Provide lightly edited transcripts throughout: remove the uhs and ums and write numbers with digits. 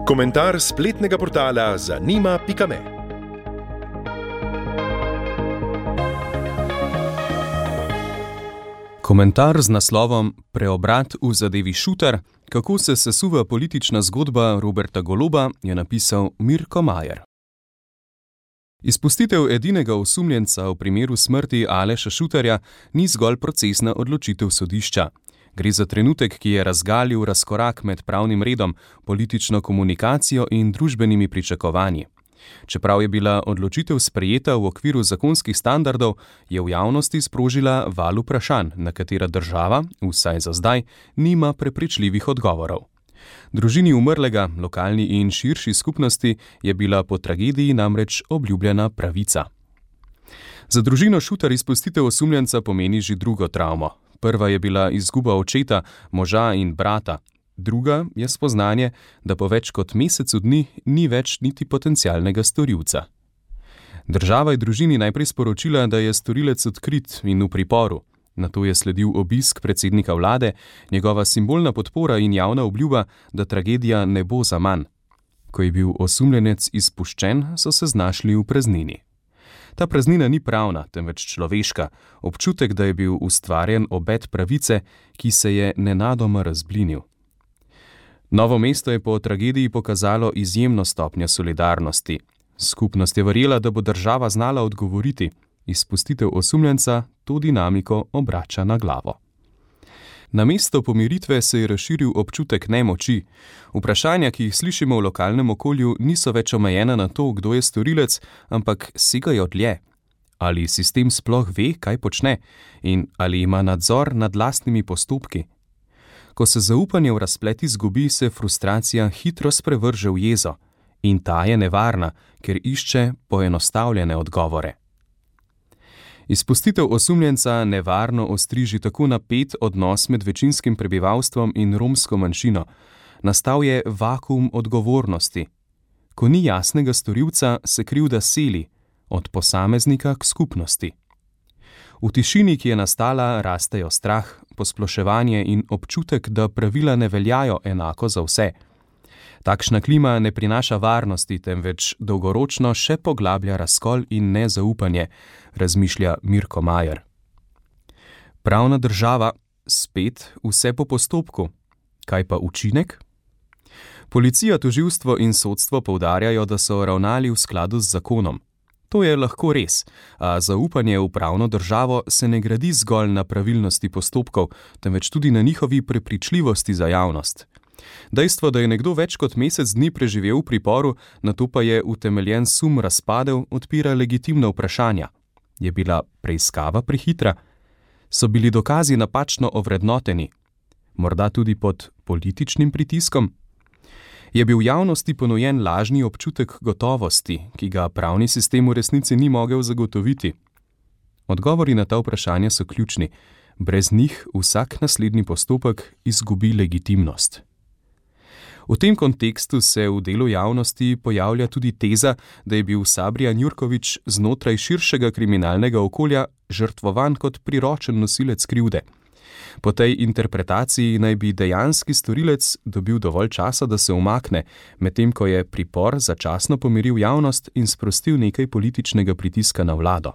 Komentar spletnega portala zanima.me. Komentar z naslovom Preobrat v zadevi Šutar, kako se sesuva politična zgodba Roberta Goloba, je napisal Mirko Majer. Izpustitev edinega osumljenca v primeru smrti Aleša Šutarja ni zgolj procesna odločitev sodišča. Gre za trenutek, ki je razgalil razkorak med pravnim redom, politično komunikacijo in družbenimi pričakovanji. Čeprav je bila odločitev sprejeta v okviru zakonskih standardov, je v javnosti sprožila val vprašanj, na katera država, vsaj za zdaj, nima prepričljivih odgovorov. Družini umrlega, lokalni in širši skupnosti je bila po tragediji namreč obljubljena pravica. Za družino Šutar izpustitev osumljenca pomeni že drugo travmo. Prva je bila izguba očeta, moža in brata. Druga je spoznanje, da po več kot mesecu dni ni več niti potencialnega storilca. Država je družini najprej sporočila, da je storilec odkrit in v priporu. Nato je sledil obisk predsednika vlade, njegova simbolna podpora in javna obljuba, da tragedija ne bo zaman. Ko je bil osumljenec izpuščen, so se znašli v praznini. Ta praznina ni pravna, temveč človeška, občutek, da je bil ustvarjen obet pravice, ki se je nenadoma razblinil. Novo mesto je po tragediji pokazalo izjemno stopnjo solidarnosti. Skupnost je verjela, da bo država znala odgovoriti. Izpustitev osumljenca to dinamiko obrača na glavo. Namesto pomiritve se je razširil občutek nemoči. Vprašanja, ki jih slišimo v lokalnem okolju, niso več omejena na to, kdo je storilec, ampak segajo dlje. Ali sistem sploh ve, kaj počne, in ali ima nadzor nad lastnimi postopki? Ko se zaupanje v razplet izgubi, se frustracija hitro sprevrže v jezo. In ta je nevarna, ker išče poenostavljene odgovore. Izpustitev osumljenca nevarno ostriži tako napet odnos med večinskim prebivalstvom in romsko manjšino. Nastal je vakuum odgovornosti. Ko ni jasnega storilca, se krivda seli, od posameznika k skupnosti. V tišini, ki je nastala, rastejo strah, posploševanje in občutek, da pravila ne veljajo enako za vse. Takšna klima ne prinaša varnosti, temveč dolgoročno še poglablja razkol in nezaupanje, razmišlja Mirko Majer. Pravna država, spet vse po postopku. Kaj pa učinek? Policija, tožilstvo in sodstvo poudarjajo, da so ravnali v skladu z zakonom. To je lahko res, a zaupanje v pravno državo se ne gradi zgolj na pravilnosti postopkov, temveč tudi na njihovi prepričljivosti za javnost. Dejstvo, da je nekdo več kot mesec dni preživel v priporu, nato pa je utemeljen sum razpadel, odpira legitimna vprašanja. Je bila preiskava prehitra? So bili dokazi napačno ovrednoteni? Morda tudi pod političnim pritiskom? Je bil javnosti ponujen lažni občutek gotovosti, ki ga pravni sistem v resnici ni mogel zagotoviti? Odgovori na ta vprašanja so ključni. Brez njih vsak naslednji postopek izgubi legitimnost. V tem kontekstu se v delu javnosti pojavlja tudi teza, da je bil Sabrijan Jurković znotraj širšega kriminalnega okolja žrtvovan kot priročen nosilec krivde. Po tej interpretaciji naj bi dejanski storilec dobil dovolj časa, da se umakne, medtem ko je pripor začasno pomiril javnost in sprostil nekaj političnega pritiska na vlado.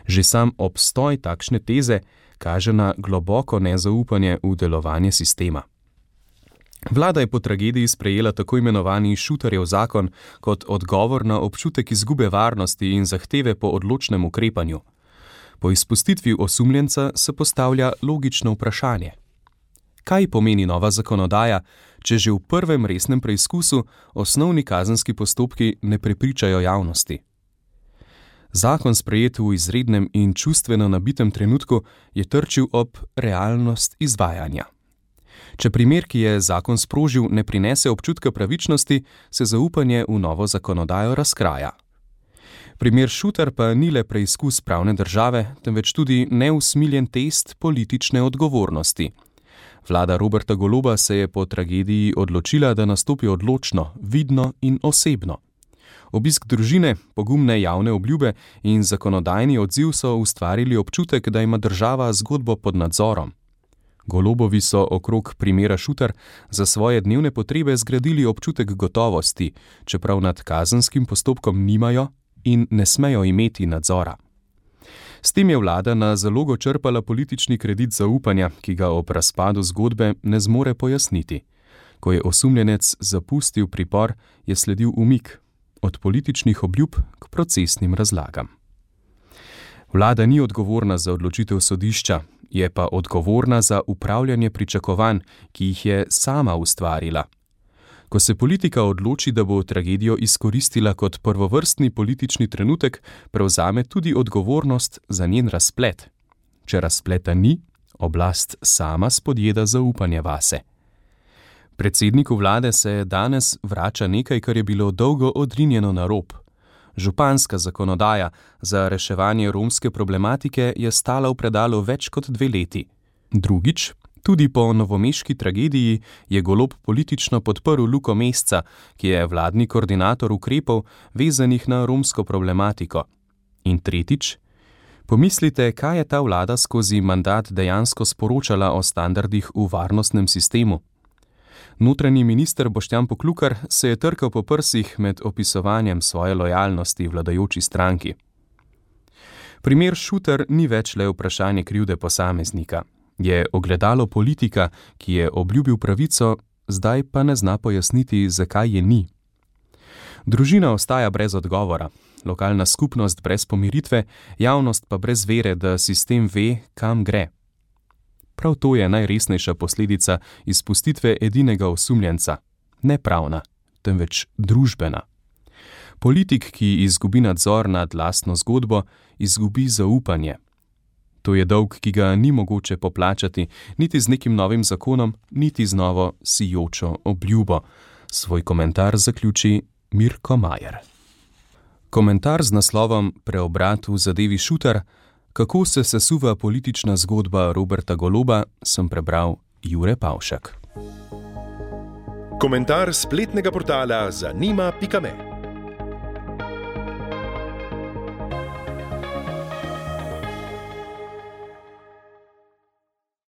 Že sam obstoj takšne teze kaže na globoko nezaupanje v delovanje sistema. Vlada je po tragediji sprejela tako imenovani Šutarjev zakon kot odgovor na občutek izgube varnosti in zahteve po odločnem ukrepanju. Po izpustitvi osumljenca se postavlja logično vprašanje. Kaj pomeni nova zakonodaja, če že v prvem resnem preizkusu osnovni kazenski postopki ne prepričajo javnosti? Zakon, sprejet v izrednem in čustveno nabitem trenutku, je trčil ob realnost izvajanja. Če primer, ki je zakon sprožil, ne prinese občutka pravičnosti, se zaupanje v novo zakonodajo razkraja. Primer Šutar pa ni le preizkus pravne države, temveč tudi neusmiljen test politične odgovornosti. Vlada Roberta Goloba se je po tragediji odločila, da nastopi odločno, vidno in osebno. Obisk družine, pogumne javne obljube in zakonodajni odziv so ustvarili občutek, da ima država zgodbo pod nadzorom. Golobovi so okrog primera Šutar za svoje dnevne potrebe zgradili občutek gotovosti, čeprav nad kazenskim postopkom nimajo in ne smejo imeti nadzora. S tem je vlada na zalogo črpala politični kredit zaupanja, ki ga ob razpadu zgodbe ne zmore pojasniti. Ko je osumljenec zapustil pripor, je sledil umik od političnih obljub k procesnim razlagam. Vlada ni odgovorna za odločitev sodišča, je pa odgovorna za upravljanje pričakovanj, ki jih je sama ustvarila. Ko se politika odloči, da bo tragedijo izkoristila kot prvovrstni politični trenutek, prevzame tudi odgovornost za njen razplet. Če razpleta ni, oblast sama spodjeda zaupanje vase. Predsedniku vlade se danes vrača nekaj, kar je bilo dolgo odrinjeno na rob. Županska zakonodaja za reševanje romske problematike je stala v predalu več kot 2 leti. Drugič, tudi po novomeški tragediji je Golob politično podprl Luko Mesca, ki je vladni koordinator ukrepov vezanih na romsko problematiko. In tretjič, pomislite, kaj je ta vlada skozi mandat dejansko sporočala o standardih v varnostnem sistemu. Notranji minister Boštjan Poklukar se je trkal po prsih med opisovanjem svoje lojalnosti vladajoči stranki. Primer Šutar ni več le vprašanje krivde posameznika. Je ogledalo politika, ki je obljubil pravico, zdaj pa ne zna pojasniti, zakaj je ni. Družina ostaja brez odgovora, lokalna skupnost brez pomiritve, javnost pa brez vere, da sistem ve, kam gre. Prav to je najresnejša posledica izpustitve edinega osumljenca, ne pravna, temveč družbena. Politik, ki izgubi nadzor nad lastno zgodbo, izgubi zaupanje. To je dolg, ki ga ni mogoče poplačati, niti z nekim novim zakonom, niti z novo sijočo obljubo. Svoj komentar zaključi Mirko Majer. Komentar z naslovom Preobrat v zadevi Šutar, kako se sesuva politična zgodba Roberta Goloba, sem prebral Jure Pavšak. Komentar spletnega portala zanima.me